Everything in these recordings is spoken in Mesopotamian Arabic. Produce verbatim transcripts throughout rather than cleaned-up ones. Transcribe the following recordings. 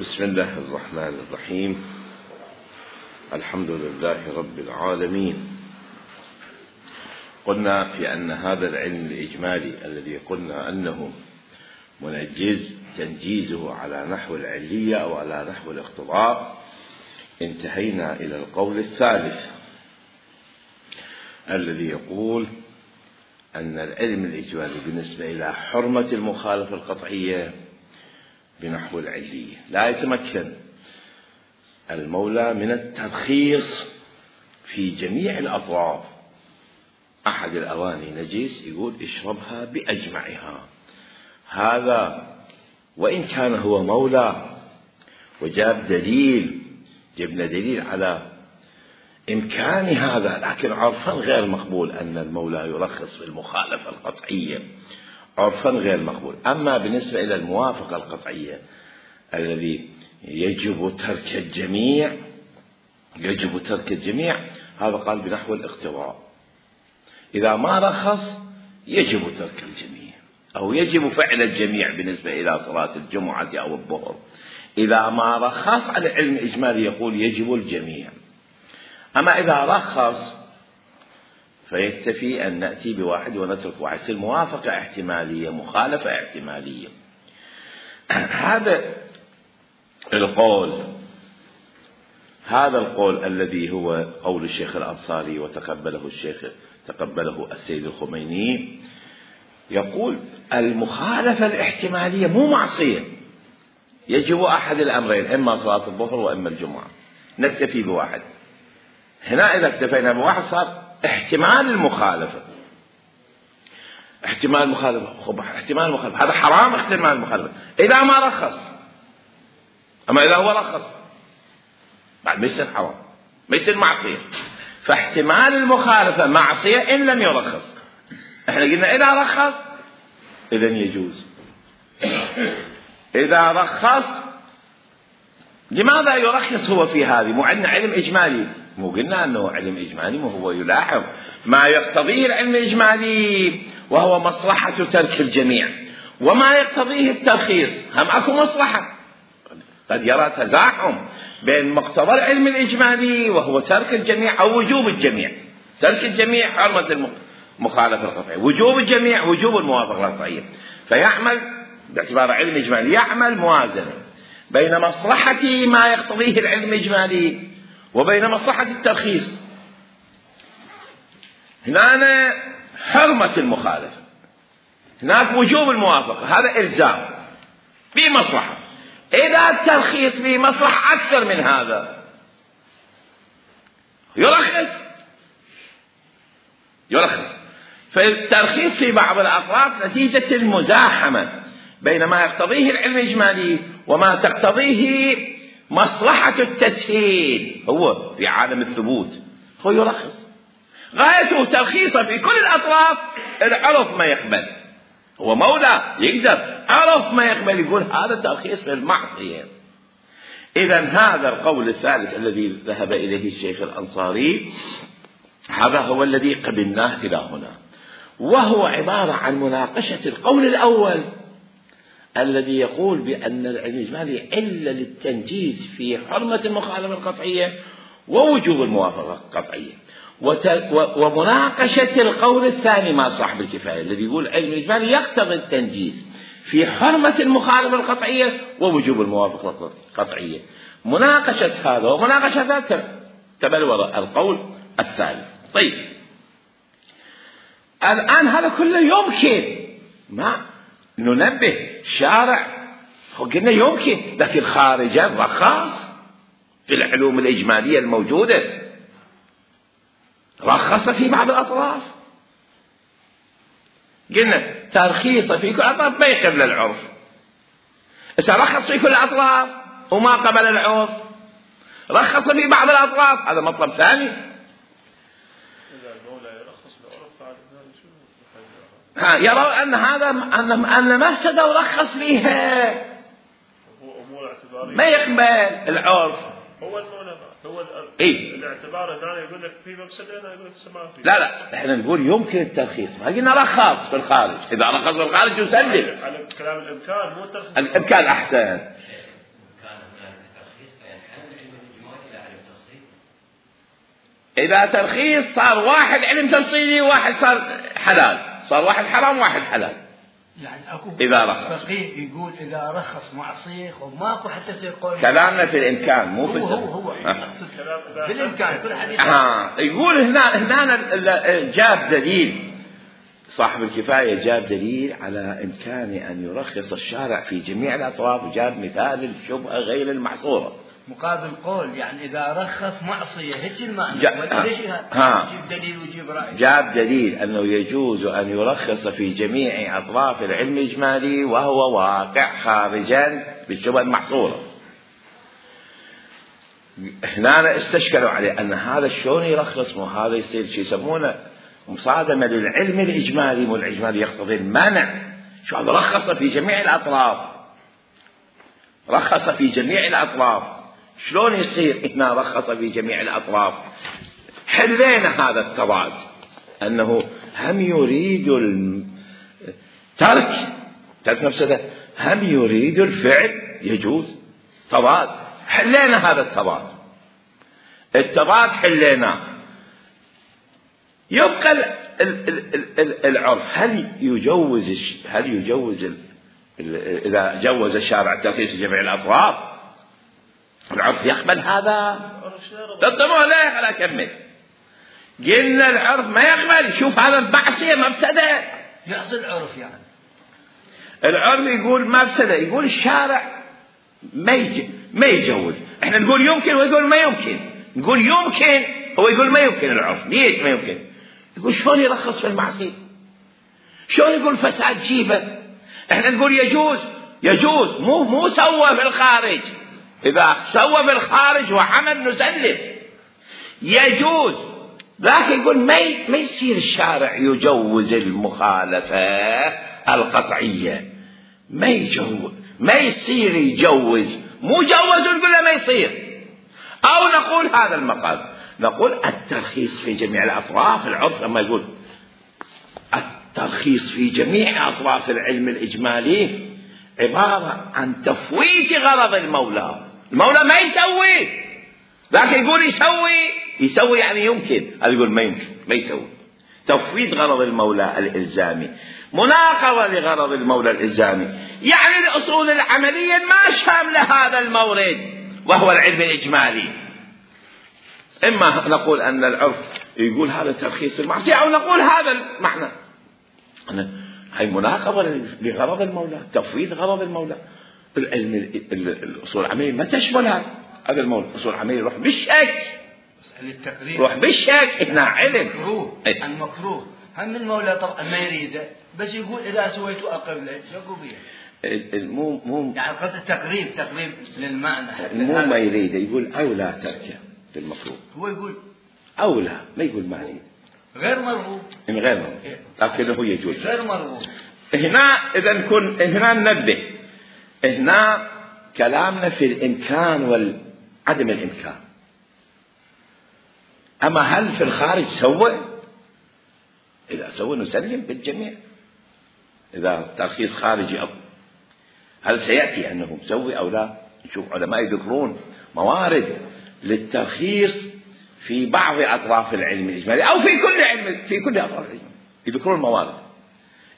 بسم الله الرحمن الرحيم. الحمد لله رب العالمين. قلنا في أن هذا العلم الإجمالي الذي قلنا أنه منجز تنجيزه على نحو العلية أو على نحو الاقتضاء، انتهينا إلى القول الثالث الذي يقول أن العلم الإجمالي بالنسبة إلى حرمة المخالفة القطعية بنحو العلية لا يتمكن المولى من الترخيص في جميع الأطراف. أحد الأواني نجس يقول اشربها بأجمعها، هذا وإن كان هو مولى وجاب دليل، جبنا دليل على إمكان هذا، لكن عرفا غير مقبول أن المولى يرخص في المخالفة القطعية، عرفا غير مقبول. أما بالنسبة إلى الموافقة القطعية الذي يجب ترك الجميع، يجب ترك الجميع، هذا قال بنحو الاقتضاء. إذا ما رخص يجب ترك الجميع أو يجب فعل الجميع بالنسبة إلى صلاة الجمعة أو الظهر. إذا ما رخص على علم إجمالي يقول يجب الجميع. أما إذا رخص فيكتفي أن نأتي بواحد ونترك واحد، الموافقة احتمالية، مخالفة احتمالية. هذا القول هذا القول الذي هو قول الشيخ الأنصاري وتقبله الشيخ تقبله السيد الخميني، يقول المخالفة الاحتمالية مو معصية، يجب أحد الأمرين، إما صلاة الظهر وإما الجمعة، نكتفي بواحد. هنا إذا اكتفينا بواحد صار احتمال المخالفة، احتمال المخالفة خب احتمال المخالفة هذا حرام، احتمال المخالفة إذا ما رخص. أما إذا هو رخص بعد ما يصير حرام، ما يصير معصية. فاحتمال المخالفة معصية إن لم يرخص. احنا قلنا إذا رخص إذن يجوز. إذا رخص لماذا يرخص هو في هذه؟ مو عندنا علم إجمالي، مو قلنا أنه علم إجمالي، مو هو يلاحظ ما يقتضيه العلم الإجمالي وهو مصلحة ترك الجميع، وما يقتضيه الترخيص هم أكو مصلحة. قد يرى تزاحم بين مقتضى العلم الإجمالي وهو ترك الجميع أو وجوب الجميع. ترك الجميع حرمة المخالفة القطعية، وجوب الجميع وجوب الموافقة القطعية. فيعمل باعتبار علم إجمالي يعمل موازنة بين مصلحة ما يقتضيه العلم الإجمالي وبين مصلحة الترخيص. هنا حرمة المخالفة، هناك وجوب الموافقة، هذا إلزام بمصلحة. إذا الترخيص بمصلحة أكثر من هذا يرخص يرخص فالترخيص في بعض الأطراف نتيجة المزاحمة بين ما يقتضيه العلم الإجمالي وما تقتضيه مصلحة التسهيل. هو في عالم الثبوت هو يرخص، غايته ترخيصه في كل الأطراف. العرف ما يقبل، هو مولى يقدر عرف ما يقبل يقول هذا ترخيص في المعصية. إذن هذا القول الثالث الذي ذهب إليه الشيخ الأنصاري هذا هو الذي قبلناه إلى هنا، وهو عبارة عن مناقشة القول الأول الذي يقول بأن العلم الإجمالي علة للتنجيز في حرمة المخالفة القطعية ووجوب الموافقة القطعية، ومناقشة القول الثاني مع صاحب الكفاية الذي يقول العلم الإجمالي يقتضي التنجيز في حرمة المخالفة القطعية ووجوب الموافقة القطعية. مناقشة هذا ومناقشة هذا تبلور القول الثالث. طيب الآن هذا كله يمكن ما ننبه شارع قلنا يمكن، لكن خارجا رخص في العلوم الإجمالية الموجودة، رخص في بعض الأطراف. قلنا ترخيص في كل الأطراف ما يقبل العرف، إذا رخص في كل الأطراف وما قبل العرف، رخص في بعض الأطراف، هذا مطلب ثاني. ها يرون أن هذا أن أن مفسدة ورخص فيها ما يقبل العرف. هو المولى هو إيه؟ الاعتبار هنا يقول لك في مفسدة، أنا أقول لك سماح فيه. لا لا إحنا نقول يمكن الترخيص، ما قلنا رخص في الخارج. إذا رخص في الخارج يسلم على كلام الإمكان مو الترخيص. الإمكان أحسن. إذا ترخيص صار واحد علم تفصيلي وواحد صار حلال، صار واحد حرام وواحد حلال. يعني اكو إذا رخص فقيه يقول إذا رخص معصية وماكو حتى يصير قول. كلامنا في الإمكان مو في هو هو هو أقصد بالإمكان كل حديث. آه يقول هنا هنا جاب دليل، صاحب الكفاية جاب دليل على إمكان أن يرخص الشارع في جميع الأطراف، وجاب مثال الشبهة غير المحصورة مقابل قول يعني إذا رخص معصية هيك المعنى. جا... ليش يجيب دليل ويجيب رأي؟ جاب دليل أنه يجوز أن يرخص في جميع أطراف العلم الإجمالي وهو واقع خارجا بالشبهة المحصورة. هنا استشكلوا عليه أن هذا شلون يرخص، وهذا يصير شيء يسمونه مصادمة للعلم الإجمالي، والإجمالي يقتضي المنع. شو هذا رخص في جميع الأطراف، رخص في جميع الأطراف، شلون يصير هنا رخص في جميع الأطراف؟ حلينا هذا التضاد، أنه هم يريد الترك ترك نفسه، هم يريد الفعل يجوز، تضاد. حلينا هذا التضاد، التضاد حليناه. يبقى ال ال ال ال العرف، هل يجوز هل يجوز ال إذا جوز الشارع الترخيص في جميع الأطراف العرف يقبل هذا؟ تطمئوا لا خلا أكمل. قلنا العرف ما يقبل. شوف هذا معصية مفسدة، يحصل العرف يعني العرف يقول مفسدة، يقول الشارع ما يج... ما يجوز. احنا نقول يمكن ويقول ما يمكن، نقول يمكن هو يقول ما يمكن. العرف ليش ما يمكن؟ يقول شلون يرخص في المعصية؟ شلون يقول فساد جيبه؟ احنا نقول يجوز يجوز مو مو سوى في الخارج. اذا سوى في الخارج وعمل نسلم يجوز، لكن يقول ما ما يصير الشارع يجوز المخالفة القطعية، ما يجوز، ما يصير يجوز، مو جوز نقول له ما يصير. او نقول هذا المقال، نقول الترخيص في جميع الأطراف. العرف لما يقول الترخيص في جميع أطراف العلم الإجمالي عبارة عن تفويت غرض المولى. المولى ما يسوي، لكن يقول يسوي، يسوي يعني يمكن، هذا يقول ما يمكن، ما يسوي. تفويت غرض المولى الإلزامي، مناقضة لغرض المولى الإلزامي، يعني الأصول العملية ما شاملة هذا المورد وهو العلم الإجمالي. إما نقول أن العرف يقول هذا ترخيص المعصية، أو نقول هذا المعنى، هي مناقضة لغرض المولى، تفويت غرض المولى. العلم الأصول العملية ما تشمل هذا المولى. الأصول العملية روح بالشك، روح بالشك إنها علم مكروه. المكروه هم المولى طبعا ما يريده، بس يقول إذا سويته أقبله شكو بيه. مو مو يعني قصد التقريب، تقريب للمعنى. مو ما يريده، يقول أولى تركه بالمكروه. هو يقول أولى، ما يقول ما يريد، غير مرغوب، إن غير مرغوب، لكنه يجوز غير مرغوب. هنا إذا نكون هنا ننبه، هنا كلامنا في الإمكان والعدم الإمكان. أما هل في الخارج سوى؟ إذا سوى نسلم بالجميع. إذا ترخيص خارجي أو هل سيأتي أنه مسوي أو لا؟ نشوف علماء يذكرون موارد للترخيص في بعض أطراف العلم الإجمالي أو في كل علم، في كل أطراف العلم يذكرون موارد.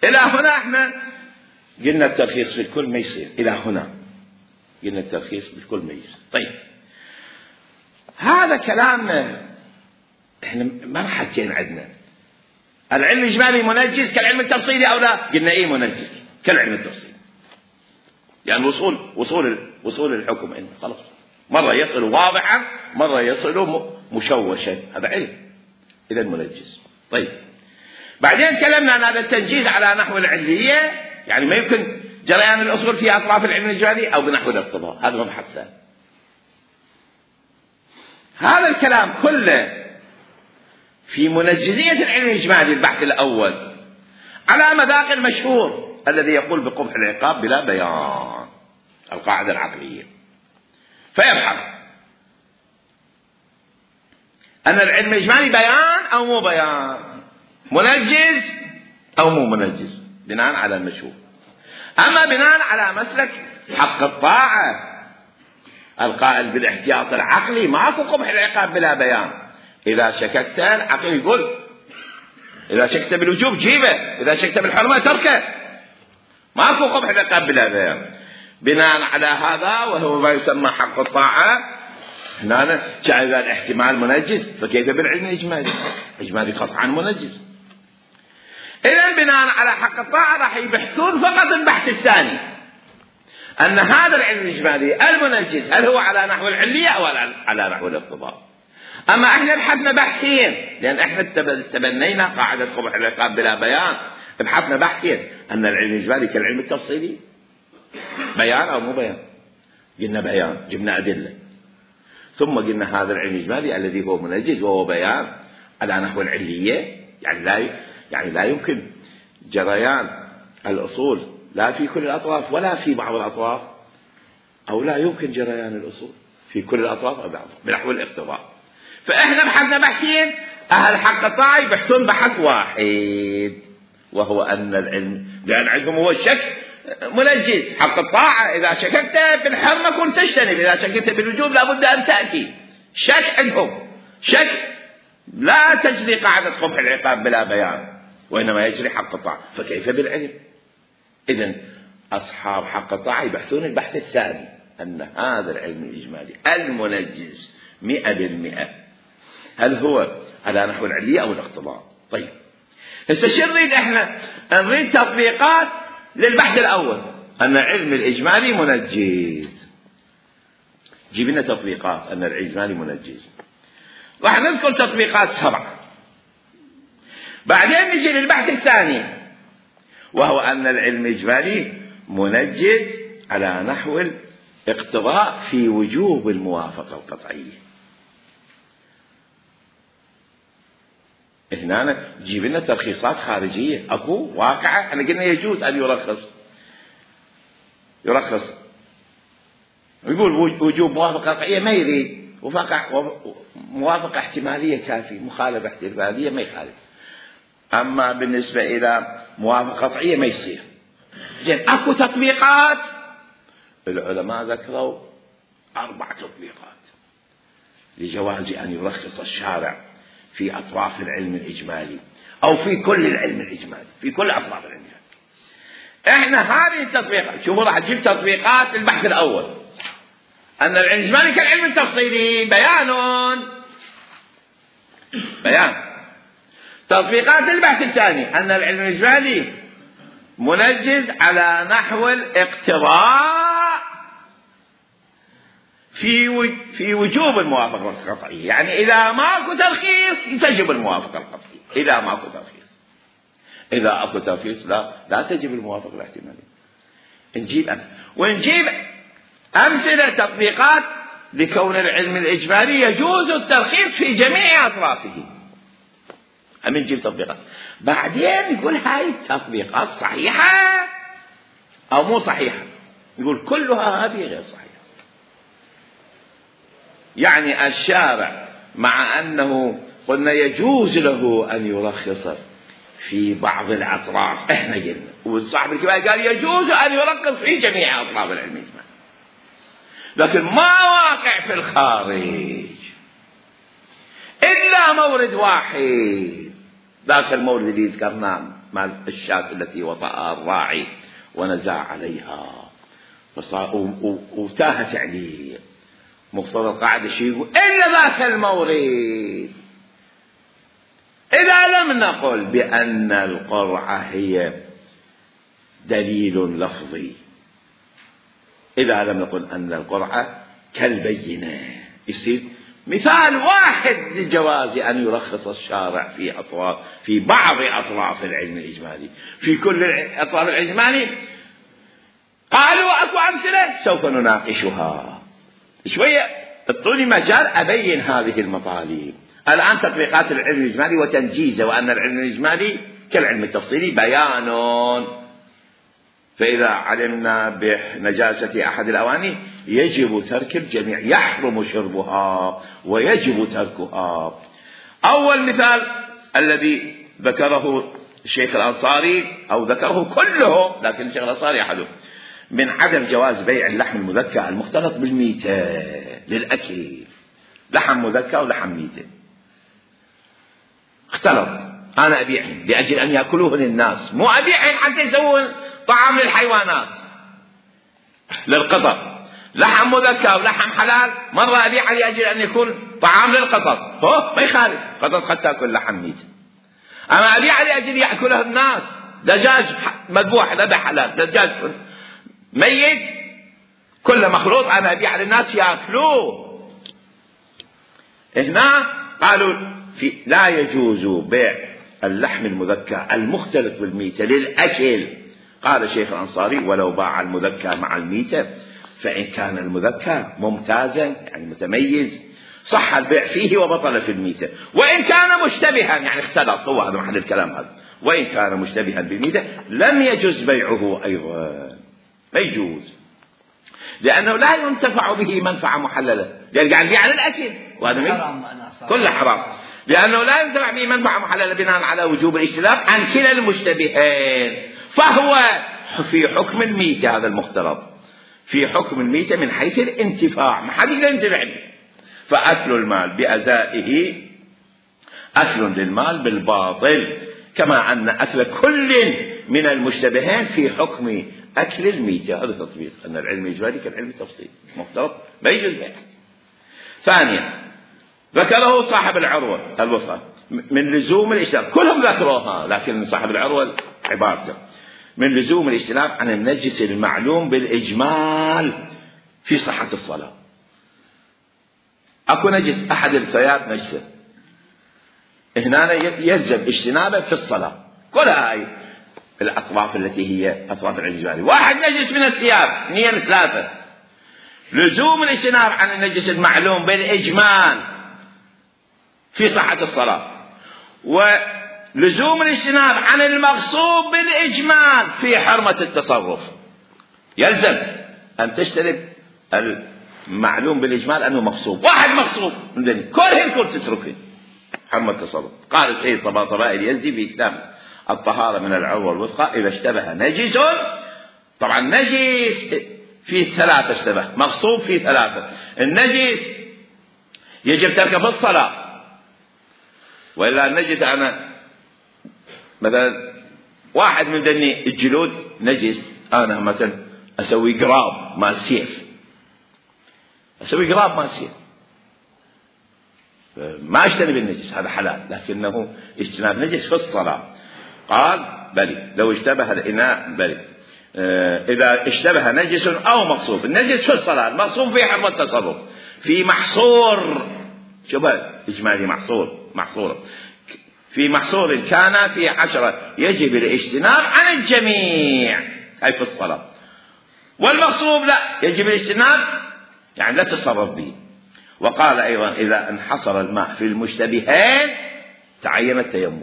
إلى هنا إحنا قلنا الترخيص في الكل ما يصير، إلى هنا قلنا الترخيص في الكل ما يصير. طيب هذا كلامنا إحنا مرحلتين عندنا. العلم الإجمالي منجز كالعلم التفصيلي أو لا؟ قلنا إيه منجز كالعلم التفصيلي، يعني وصول وصول وصول الحكم إنه خلاص مرة يصل واضحا، مرة يصل مشوشا، هذا علم إذا منجز. طيب بعدين تكلمنا عن هذا التنجيز على نحو العلية، يعني ما يمكن جريان الأصول في أطراف العلم الإجمالي أو بنحو الاقتضاء، هذا مبحث ثاني. هذا الكلام كله في منجزية العلم الإجمالي البحث الأول على مذاق المشهور الذي يقول بقبح العقاب بلا بيان، القاعدة العقلية. فيبحث أن العلم الإجمالي بيان أو مو بيان، منجز أو مو منجز، بناء على المشهور. أما بناء على مسلك حق الطاعة القائل بالاحتياط العقلي، ماكو قبح العقاب بلا بيان. إذا شككت العقل يقول إذا شككت بالوجوب جيبه، إذا شككت بالحرمة تركه، ماكو قبح العقاب بلا بيان. بناء على هذا وهو ما يسمى حق الطاعة، هنا جعل الاحتمال منجز، فكيف بالعلم الإجمالي؟ إجمالي قطعا منجز. إذن بناء على حق الطاعة راح يبحثون فقط البحث الثاني، أن هذا العلم الإجمالي المنجز هل هو على نحو العلية أو على نحو الاقتضاء. أما إحنا بحثنا بحثين، لأن إحنا تبنينا قاعدة قبح العقاب بلا بيان، بحثنا بحثين، أن العلم الإجمالي كالعلم التفصيلي، بيان أو مو بيان؟ قلنا بيان، جبنا أدلة، ثم قلنا هذا العلم الإجمالي الذي هو منجز وهو بيان على نحو العلية، يعني لا يعني لا يمكن جريان الأصول لا في كل الأطراف ولا في بعض الأطراف، أو لا يمكن جريان الأصول في كل الأطراف أو بعض بنحو الاقتضاء. فإحنا بحثنا بحثين، أهل حق الطاعة يبحثون بحث واحد، وهو أن العلم لأن عندهم هو الشك منجز. حق الطاعة إذا شككت بالحرمة كنت تجتنب، إذا شككت بالوجوب لابد أن تأتي. شك عندهم شك لا تجري قاعدة قبح العقاب بلا بيان، وإنما يجري حق الطاعة، فكيف بالعلم؟ إذن أصحاب حق الطاعة يبحثون البحث الثاني، أن هذا العلم الإجمالي المنجز مئة بالمئة هل هو على نحو العلية أو الاقتضاء. طيب هسه شو نريد احنا؟ نريد تطبيقات للبحث الأول، أن العلم الإجمالي منجز. جيب لنا تطبيقات أن الإجمالي منجز. راح نذكر تطبيقات سبعة، بعدين نجي للبحث الثاني وهو أن العلم الإجمالي منجز على نحو الاقتضاء في وجوب الموافقة القطعية. هنا جيب لنا ترخيصات خارجية، أكو واقعة. احنا قلنا يجوز أن يرخص يرخص يقول وجوب موافقة قطعية ما يريد، موافقة احتمالية كافية، مخالفة احتمالية ما يخالف. أما بالنسبة إلى موافقة قطعية ما يصير. زين أكو تطبيقات، العلماء ذكروا أربع تطبيقات لجواز أن يرخص الشارع في أطراف العلم الإجمالي أو في كل العلم الإجمالي، في كل أطراف العلم الإجمالي. إحنا هذه التطبيقات، شوفوا راح نجيب تطبيقات البحث الأول، أن العلم الإجمالي كالعلم التفصيلي، بيان بيان. تطبيقات البحث الثاني أن العلم الإجمالي منجز على نحو الاقتضاء في في وجوب الموافقة القطعية، يعني إذا ماكو ترخيص تجب الموافقة القطعية، إذا ماكو ترخيص. إذا أكو ترخيص لا لا تجب الموافقة الاحتمالية. نجيب أمثلة ونجيب أمثلة تطبيقات لكون العلم الإجمالي يجوز الترخيص في جميع أطرافه. أمين نجيب تطبيقات، بعدين يقول هاي التطبيقات صحيحة أو مو صحيحة، يقول كلها هذه غير صحيحة. يعني الشارع مع أنه قلنا يجوز له أن يرخص في بعض الأطراف، إحنا قلنا وصاحب الكفاية قال يجوز أن يرخص في جميع أطراف العلم الإجمالي، لكن ما واقع في الخارج إلا مورد واحد، ذاك المورد اللي ذكرناه مع الشاة التي وطأها الراعي ونزع عليها وتاه تعليل. مقتضى القاعدة شيء يقول إلا ذاك المورد إذا لم نقل بأن القرعة هي دليل لفظي، إذا لم نقل أن القرعة كالبينة، يصير مثال واحد لجواز أن يرخص الشارع في أطراف في بعض أطراف العلم الإجمالي، في كل أطراف العلم الإجمالي. قالوا أكو أمثلة سوف نناقشها شوية، اعطوني مجال أبين هذه المطالب. الآن تطبيقات العلم الإجمالي وتنجيزه، وأن العلم الإجمالي كالعلم التفصيلي بيان، فإذا علمنا بنجاسة أحد الأواني يجب ترك الجميع، يحرم شربها ويجب تركها. أول مثال الذي ذكره الشيخ الأنصاري أو ذكره كله، لكن الشيخ الأنصاري أحده، من عدم جواز بيع اللحم المذكى المختلط بالميتة للأكل، لحم مذكى ولحم ميتة. اختلط، أنا أبيعهن لأجل أن يأكلوهن الناس، مو أبيعهن حتى يسوون طعام للحيوانات للقطط. لحم مذكى ولحم حلال، مرة أبيعه لأجل أن يكون طعام للقطط، هو ما يخالف، قطط قد تأكل لحم ميت. أما أبيعه لأجل يأكله الناس، دجاج مذبوح ذبح حلال، دجاج ميت كل مخلوط أنا أبيعه للناس يأكلوه. هنا قالوا في لا يجوز بيع اللحم المذكى المختلط بالميتة للأكل. قال الشيخ الأنصاري ولو باع المذكى مع الميتة فإن كان المذكى ممتازا يعني متميز صح البيع فيه وبطل في الميتة، وإن كان مشتبها يعني اختلط، هو هذا محل الكلام هذا، وإن كان مشتبها بالميتة لم يجوز بيعه أيضا، ما يجوز، لأنه لا ينتفع به منفعة محللة، لأن قاعد يبيع على الأكل وهذا كله حرام، لأنه لا ينتفع به منفعة محللة بناء على وجوب الاجتناب عن كلا المشتبهين، فهو في حكم الميتة، هذا المختلط في حكم الميتة من حيث الانتفاع، ما حد يقدر ينتفع به، فأكل المال بأزائه أكل للمال بالباطل، كما أن أكل كل من المشتبهين في حكم أكل الميتة. هذا تطبيق أن العلم الإجمالي كالعلم التفصيلي، مختلط ما يجوز بيعه. ثانيا ذكره صاحب العروة الوفاة من لزوم الاجتناب، كلهم ذكروها لكن صاحب العروة عبارته من لزوم الاجتناب عن النجس المعلوم بالإجمال في صحة الصلاة. أكو نجس أحد الثياب نجسة، هنا يلزم اجتنابه في الصلاة، كل هاي الأطراف التي هي أطراف الإجمالي. واحد نجس من الثياب، اثنين ثلاثة، لزوم الاجتناب عن النجس المعلوم بالإجمال في صحة الصلاة، ولزوم الاجتناب عن المغصوب بالإجمال في حرمة التصرف. يلزم أن تجتنب المعلوم بالإجمال أنه مغصوب، واحد مغصوب كلهن كل تتركه حرمة التصرف. قال السيد طباطبائي اليزدي في كتاب الطهارة من العروة الوثقى إذا اشتبه نجس، طبعا نجس في ثلاثة، اشتبه مغصوب في ثلاثة، النجس يجب تركه في الصلاة، وإلا النجس أنا مثلا واحد من ذني الجلود نجس، أنا مثلا أسوي قراب مع السيف، أسوي قراب مع السيف ما اجتنب النجس، هذا حلال، لكنه اجتناب نجس في الصلاة. قال بلي لو اشتبه الإناء بلي اه إذا اشتبه نجس أو مغصوب، النجس في الصلاة، المغصوب في حرمة التصرف، في محصور، شبه إجمالي محصور محصور في محصور كان في عشرة يجب الاجتناب عن الجميع أي في الصلاة، والمغصوب لا يجب الاجتناب يعني لا تتصرف به. وقال أيضا إذا انحصر الماء في المشتبهين تعين التيمم،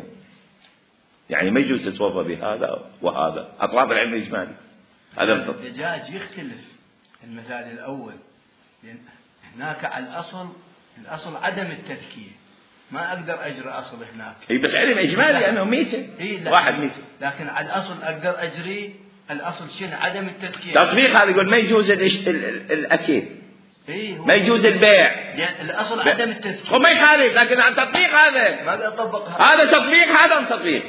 يعني ما يجوز تتوضا بهذا وهذا، أطراف العلم الإجمالي. هذا الدجاج يختلف المثال الأول، لأن هناك على الأصل الأصل عدم التذكية، ما أقدر أجري أصل هناك، إيه بس علم إجمالي أنه ميتة، إيه واحد ميتة، لكن على الأصل أقدر أجري الأصل شنو عدم التذكية. تطبيق هذا يقول ما يجوز الأكل، إيه ما يجوز البيع، يعني الأصل عدم التذكير، هو ما يخالف، لكن التطبيق هذا ما أطبق هذا تطبيق، هذا تطبيق،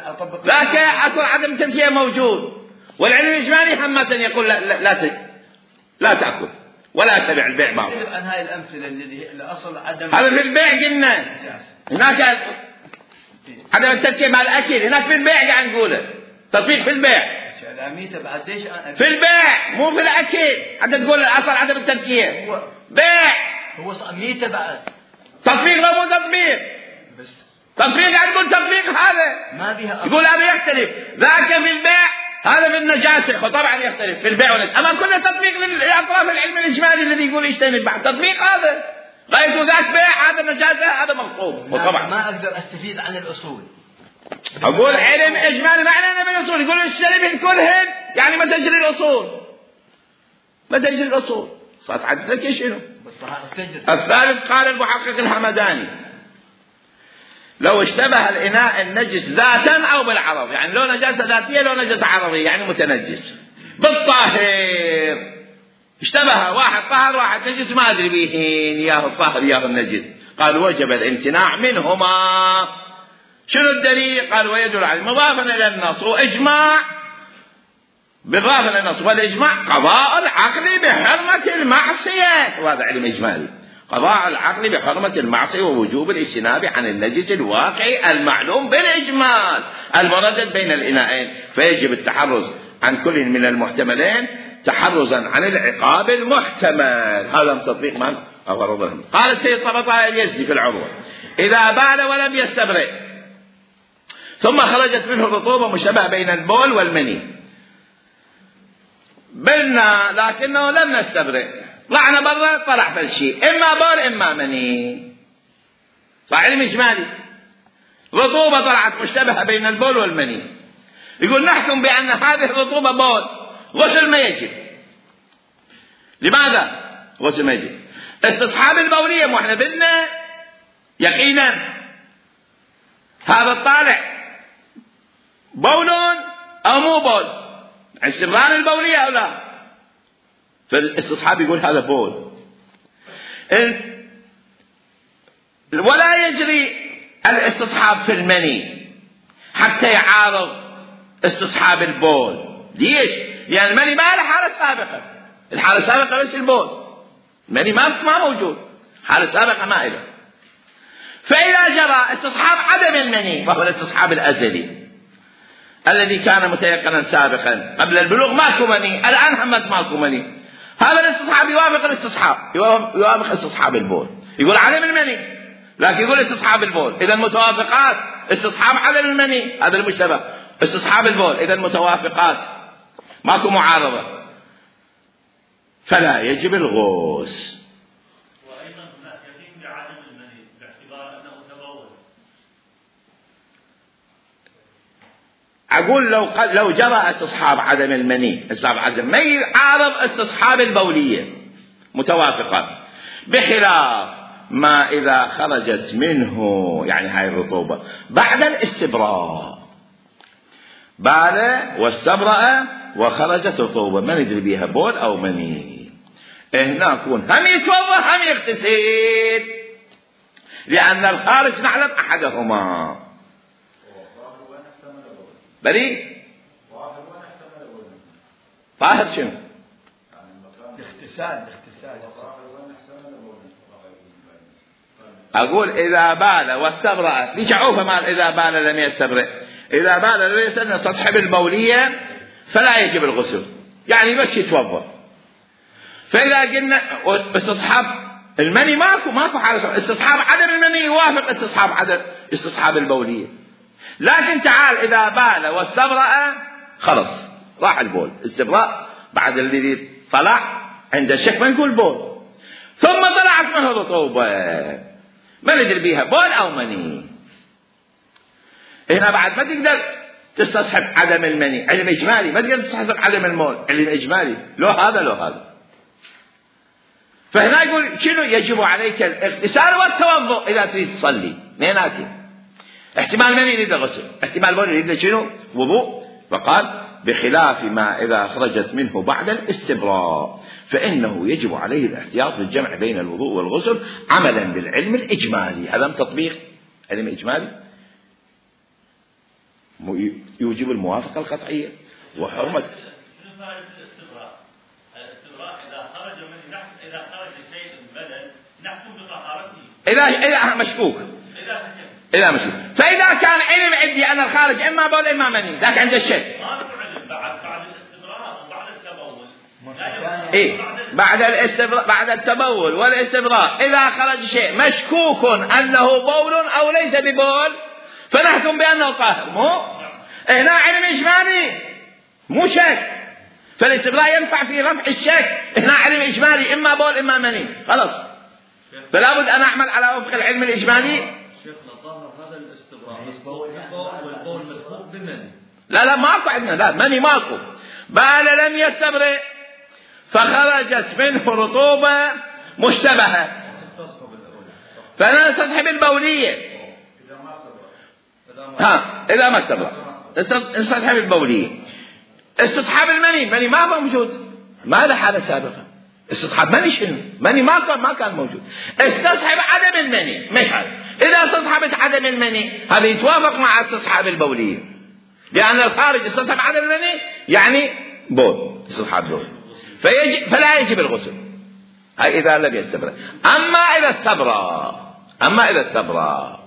أطبق لكن أصل عدم التذكير موجود، والعلم الإجمالي حماسا يقول لا لا لا, لا تأكل ولا تبع البيع بعض. عن هاي الأمثلة الذي الأصل عدم هذا في البيع قلنا، هناك عدم التذكير مع الأكل، هناك في البيع قاعد نقوله تطبيق في البيع، في البيع مو في الأكل، حتى تقول الأصل عدم التذكير بيع، هو ميتة بعد تطبيق لا مو تطبيق، بس تطبيق قاعد تقول تطبيق هذا ما بيها يقول هذا يختلف، ذاك في البيع هذا في النجاسة، فطبعا يختلف في البيع والنجاسة، أما كل تطبيق للأطراف العلم الإجمالي الذي يقول يجتنب بعد تطبيق هذا، غايته ذاك بيع هذا نجاسة هذا مغصوب، وطبعا ما أقدر أستفيد عن الأصول، أقول علم إجمالي معناه من الأصول، يقول اجتنب كلهن يعني ما تجري الأصول، ما تجري الأصول، صارت عدتك شنو؟ الثالث قال المحقق الحمداني لو اشتبه الإناء النجس ذاتا أو بالعرض، يعني لو نجاسة ذاتية لو نجاسة عرضية يعني متنجس بالطاهر، اشتبه واحد طاهر واحد نجس ما أدري بيهين ياه الطاهر ياه النجس، قال وجب الامتناع منهما شنو الدليل؟ قال ويدل عليه مضافا إلى النص وإجماع بالإضافة إلى النص والإجماع قضاء العقل بحرمة المعصية، وهذا علم إجمالي. قضاء العقل بحرمة المعصية ووجوب الاجتناب عن النجس الواقعي المعلوم بالإجمال المردد بين الإناءين، فيجب التحرز عن كل من المحتملين تحرزا عن العقاب المحتمل. هذا تطبيق من أغرضهم. قال السيد طبطاء اليزدي في العروة: إذا بال ولم يستبرئ ثم خرجت منه الرطوبة مشتبه بين البول والمني، بلنا لكنه لم نستبرئ، طلعنا برا طلع فالشيء إما بول إما مني، صح علم إجمالي. رطوبة طلعت مشتبهة بين البول والمني، يقول نحكم بأن هذه الرطوبة بول، غسل ما يجب. لماذا غسل ما يجب؟ استصحاب البولية، مو احنا بدنا يقينا هذا الطالع بول أو مو بول، استمرار البولية أو لا، فالاستصحاب يقول هذا بول. ولا يجري الاستصحاب في المني حتى يعارض استصحاب البول. ليش؟ يعني المني ما له حالة سابقة، الحالة السابقة ليش البول، المني ما ما موجود، حالة سابقة ما إله. فإذا جرى استصحاب عدم المني وهو الاستصحاب الأزلي الذي كان متيقنا سابقا قبل البلوغ ماكو مني، الآن همت ماكو مني، هذا الاستصحاب يوافق الاستصحاب يوافق استصحاب البول، يقول عدم المني لكن يقول استصحاب البول، إذا متوافقات. استصحاب عدم المني هذا المشتبه، استصحاب البول إذا متوافقات، ماكو معارضة، فلا يجب الغوص. وأيضا هناك يقين بعدم المني باعتبار أنه تبول. أقول لو لو جرى استصحاب عدم المني، استصحاب عدم ما يعارض استصحاب البولية، متوافقات، بخلاف ما إذا خرجت منه يعني هاي الرطوبة بعد الاستبراء، بال واستبرأ وخرجت رطوبة ما ندري بيها بول أو مني، هنا يكون هم يتوضأ هم يغتسل، لأن الخارج نعلم أحدهما. بريء طاهر شنو؟ اغتسال اغتسال أقول إذا بال واستبرأ، ليش عوفة مال إذا بال لم يستبرئ؟ إذا بال لم يستبرئ تصحب البولية فلا يجب الغسل، يعني بس يتوضأ. فإذا قلنا استصحاب المني ماكو ماكو حالة، استصحاب عدم المني يوافق استصحاب عدم استصحاب البولية، لكن تعال إذا بال واستبرأ خلص راح البول، استبراء بعد الذي طلع عند الشك ما نقول بول، ثم طلعت منه رطوبة ما ندري بيها بول أو مني، هنا بعد ما تقدر تستصحب عدم المني، علم إجمالي، ما تقدر تستصحب عدم المول، علم إجمالي، لو هذا لو هذا. فهنا يقول شنو يجب عليك الاغتسال والتوضؤ إذا تريد تصلي، اثنيناتي، احتمال مني يريد غسل، احتمال بول يريد شنو وضوء، فقال بخلاف ما إذا خرجت منه بعد الاستبراء فإنه يجب عليه الاحتياط بالجمع بين الوضوء والغسل عملا بالعلم الإجمالي. هذا تطبيق علم إجمالي يوجب الموافقة القطعية وحرمة. شنو فائدة الاستبراء؟ الاستبراء إذا خرج من نحن إذا خرج شيء بدل نحكم بطهارته. إذا إذا مشكوك. إذا شك. إذا مشكوك. فإذا كان علم عندي أن الخارج إما بول إما مني، ذاك عند الشك. ما له علم بعد بعد الاستبراء وبعد التبول. إيه بعد الاستبراء بعد التبول والاستبراء إذا خرج شيء مشكوك أنه بول أو ليس ببول فنحكم بأنه طاهر، مو هنا علم إجمالي مو شك، فالاستبراء ينفع في رفع الشك، هنا علم إجمالي إما بول إما مني، خلاص فلا بد أن أعمل على وفق العلم الإجمالي. شيخنا طهر هذا الاستبراء والبول مسبوق بمني. لا لا ماكو عندنا، لا مني ماكو، بال لم يستبرئ فخرجت منه رطوبة مشتبهة فأنا نستصحب البولية، ها إذا ما استبرأ نستصحب البولية. استصحاب المني، المني ما موجود، ما له حالة سابقة، استصحاب مني شنو؟ مني ما كان ما كان موجود. استصحب عدم المني مثلا، إذا استصحبت عدم المني هذا يتوافق مع استصحاب البولية، لأن الخارج استصحب عدم المني يعني بول، استصحاب بول، فيجب فلا يجب الغسل. هاي إذا لم يستبرأ. أما إذا استبرأ أما إذا استبرأ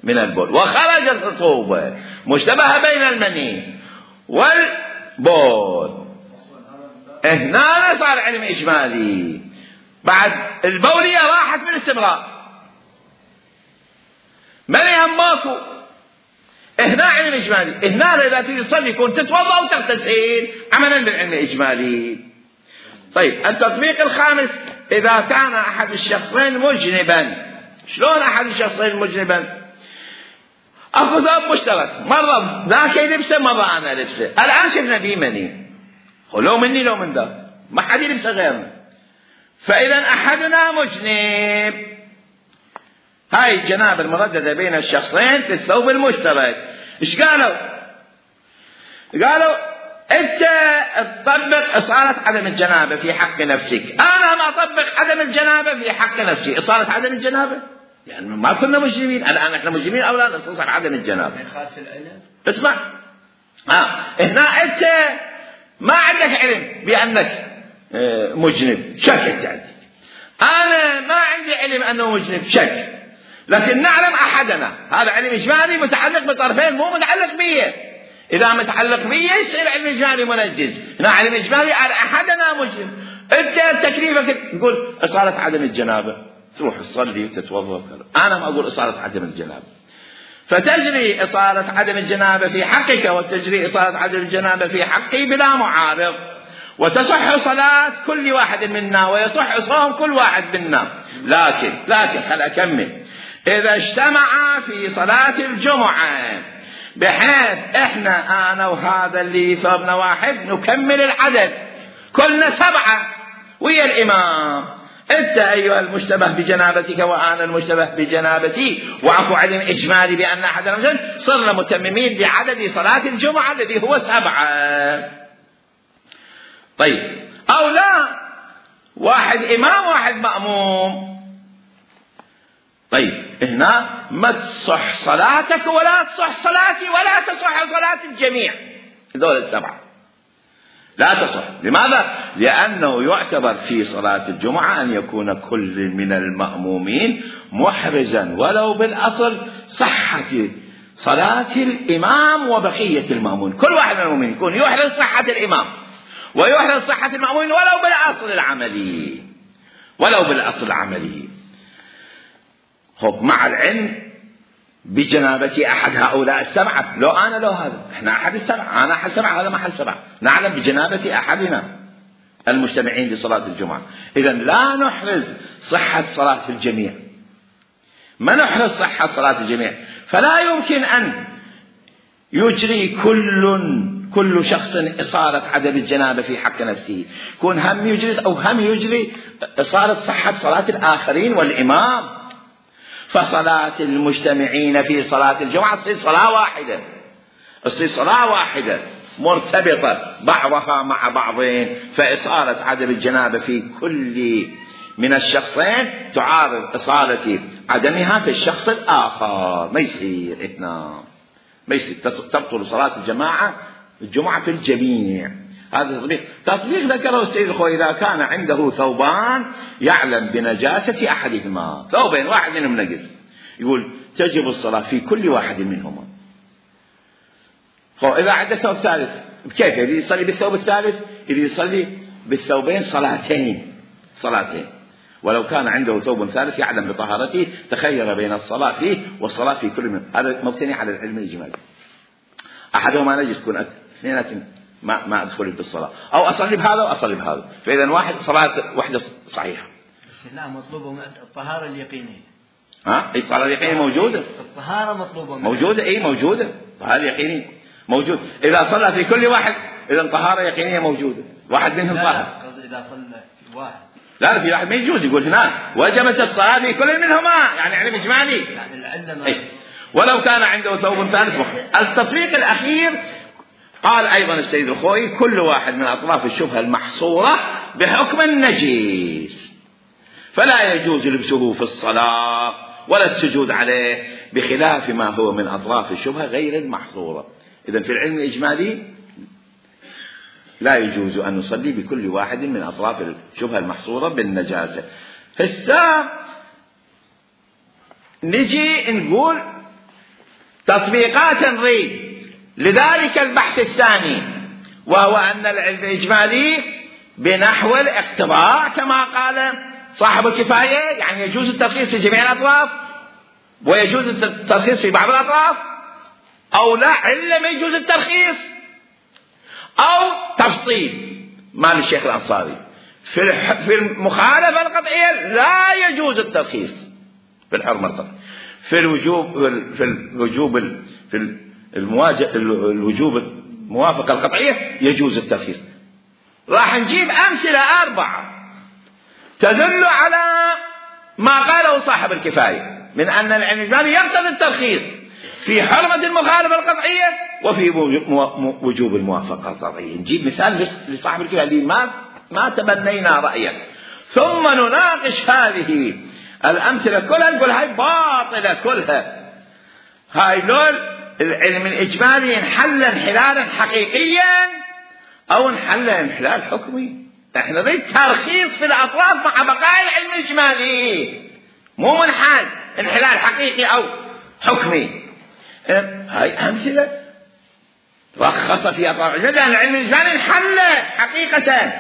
من البول وخرجت رطوبة مشتبهة بين المني والبول، هنا صار علم إجمالي. بعد البولية راحت من الاستبراء، مني هم ماكو، هنا علم إجمالي. هنا إذا تيجي تصلي يكون تتوضأ وتغتسل عملا بالعلم الإجمالي. طيب التطبيق الخامس، إذا كان أحد الشخصين مجنبا. شلون أحد الشخصين مجنبا؟ أخذ ثوب مشترك، مرة ذاك يلبسه مرة أنا لبسه، الآن شفنا فيه مني، لو مني لو من ذاك ما حد يلبسه غيرنا، فإذا أحدنا مجنب. هاي الجنابة المرددة بين الشخصين في الثوب المشترك. إيش قالوا؟ قالوا أنت تطبق إصالة عدم الجنابة في حق نفسك، أنا ما أطبق عدم الجنابة في حق نفسي. إصالة عدم الجنابة يعني ما كنا مجرمين، الآن إحنا مجرمين أو لا نستصحب عدم الجنابة. ما يخالف العلم. اسمع، آه هنا أنت ما عندك علم بأنك مجنب، شك أنت عندك، أنا ما عندي علم أنه مجنب، شك، لكن نعلم أحدنا. هذا علم إجمالي متعلق بطرفين، مو متعلق بيه. إذا متعلق بيه يصير علم إجمالي منجز. هنا علم إجمالي على أحدنا مجنب. أنت تكليفك تقول إصالة عدم الجنابة، تروح تصلي وتتوضأ. أنا ما أقول إصالة عدم الجنابة، فتجري إصالة عدم الجنابة في حقك وتجري إصالة عدم الجنابة في حقي بلا معارض، وتصح صلاة كل واحد منا ويصح صوم كل واحد منا. لكن لكن خل أكمل. إذا اجتمع في صلاة الجمعة بحيث إحنا أنا وهذا اللي ثوبنا واحد نكمل العدد، كلنا سبعة ويا الإمام، أنت أيها المشتبه بجنابتك وأنا المشتبه بجنابتي، وعفو علم إجمالي بأن أحدنا مجنب، صرنا متممين بعدد صلاة الجمعة الذي هو سبعة. طيب أو لا، واحد إمام واحد مأموم. طيب هنا ما تصح صلاتك ولا تصح صلاتي ولا تصح صلاة الجميع، دول السبعة لا تصح. لماذا؟ لأنه يعتبر في صلاة الجمعة أن يكون كل من المأمومين محرزا ولو بالأصل صحة صلاة الإمام وبقية المأمون. كل واحد من المؤمنين يكون يحرز صحة الإمام ويحرز صحة المأمون ولو بالأصل العملي، ولو بالأصل العملي. خب مع العلم بجنابة أحد هؤلاء السبعة، لو أنا لو هذا، إحنا أحد السبعة، أنا أحد السبعة هذا ما أحد السبعة، نعلم بجنابة أحدنا المجتمعين لصلاة الجمعة. إذن لا نحرز صحة صلاة الجميع، ما نحرز صحة صلاة الجميع، فلا يمكن أن يجري كل كل شخص إصالة عدم الجنابة في حق نفسه، يكون هم يجري أو هم يجري إصالة صحة صلاة الآخرين والإمام. فصلاة المجتمعين في صلاة الجمعة تصير صلاة واحدة، تصير صلاة واحدة مرتبطة بعضها مع بعضين، فإصالة عدم الجنابة في كل من الشخصين تعارض إصالة عدمها في الشخص الآخر، ما يصير إثنان، ما يصير تبطل صلاة الجماعة الجمعة في الجميع. هذا تطبيق تطبيق ذكره السيد الخوي. إذا كان عنده ثوبان يعلم بنجاسة أحدهما، ثوبين واحد منهم نجس، يقول تجب الصلاة في كل واحد منهما. إذا عنده ثوب ثالث كيف يريد يصلي بالثوب الثالث؟ يريد يصلي بالثوبين صلاتين صلاتين ولو كان عنده ثوب ثالث يعلم بطهارته تخير بين الصلاة فيه والصلاة في كل منهم. هذا مبتني على العلم الإجمالي. أحدهما نجس تكون اثنين ما ما أدخل بالصلاة، أو أصلي بهذا وأصلي بهذا، فإذا واحد صلاة واحدة صحيحة. بس لا مطلوبة الطهارة اليقينية. ها؟ الطهارة اليقينية موجودة. الطهارة مطلوبة. موجودة إيه موجودة. الطهارة اليقينية موجود. إذا صلى في كل واحد إذا طهارة يقينية موجودة، واحد منهم طاهر. إذا صلى في واحد. لا في واحد ما يجوز، يقول هنا وجبت الصلاة في كل منهما، يعني علم إجمالي. يعني العلم إيه؟ ولو كان عنده ثوب ثالث. التطبيق الأخير قال أيضا السيد الخوئي: كل واحد من أطراف الشبهة المحصورة بحكم النجيس فلا يجوز لبسه في الصلاة ولا السجود عليه، بخلاف ما هو من أطراف الشبهة غير المحصورة. إذن في العلم الإجمالي لا يجوز أن نصلي بكل واحد من أطراف الشبهة المحصورة بالنجاسة. هسه نجي نقول تطبيقات نريد لذلك البحث الثاني، وهو أن العلم الإجمالي بنحو الاقتضاء كما قال صاحب الكفاية، يعني يجوز الترخيص في جميع الأطراف ويجوز الترخيص في بعض الأطراف، أو لا إلا ما يجوز الترخيص، أو تفصيل مال الشيخ الأنصاري في في المخالفة القطعية لا يجوز الترخيص في الحرمة القطعية، في الوجوب في الوجوب في المواجهة الوجوب الموافقة القطعية يجوز الترخيص. راح نجيب أمثلة أربعة تدل على ما قاله صاحب الكفاية من أن العلم الإجمالي يقتضي الترخيص في حرمة المخالفة القطعية وفي وجوب الموافقة القطعية. نجيب مثال لصاحب الكفاية اللي ما ما تبنينا رأيه، ثم نناقش هذه الأمثلة كلها نقول هاي باطلة كلها، هاي لول العلم الإجمالي انحل انحلالا حقيقيا أو انحل انحلال حكمي. احنا نريد ترخيص في الأطراف مع بقاء العلم الإجمالي، مو منحل انحلال حقيقي أو حكمي. هاي أمثلة رخص في أطراف العلم، لأن العلم الإجمالي انحل حقيقة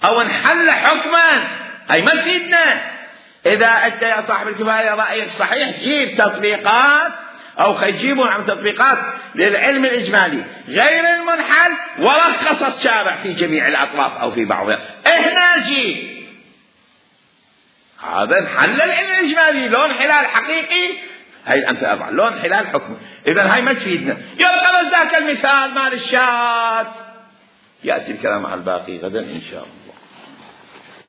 أو انحل حكما، هاي ما تفيدنا. إذا أنت يا صاحب الكفاية رأيك صحيح جيب تطبيقات أو خيجيبون عن تطبيقات للعلم الإجمالي غير المنحل ورخص الشارع في جميع الأطراف أو في بعضها، إحنا جيب هذا انحل العلم الإجمالي لون حلال حقيقي، هاي الأمثلة أربعة لون حلال حكمي. إذن هاي ما تفيدنا. يبقى بس ذاك المثال مال الشات، يأتي الكلام على الباقي غدا إن شاء الله.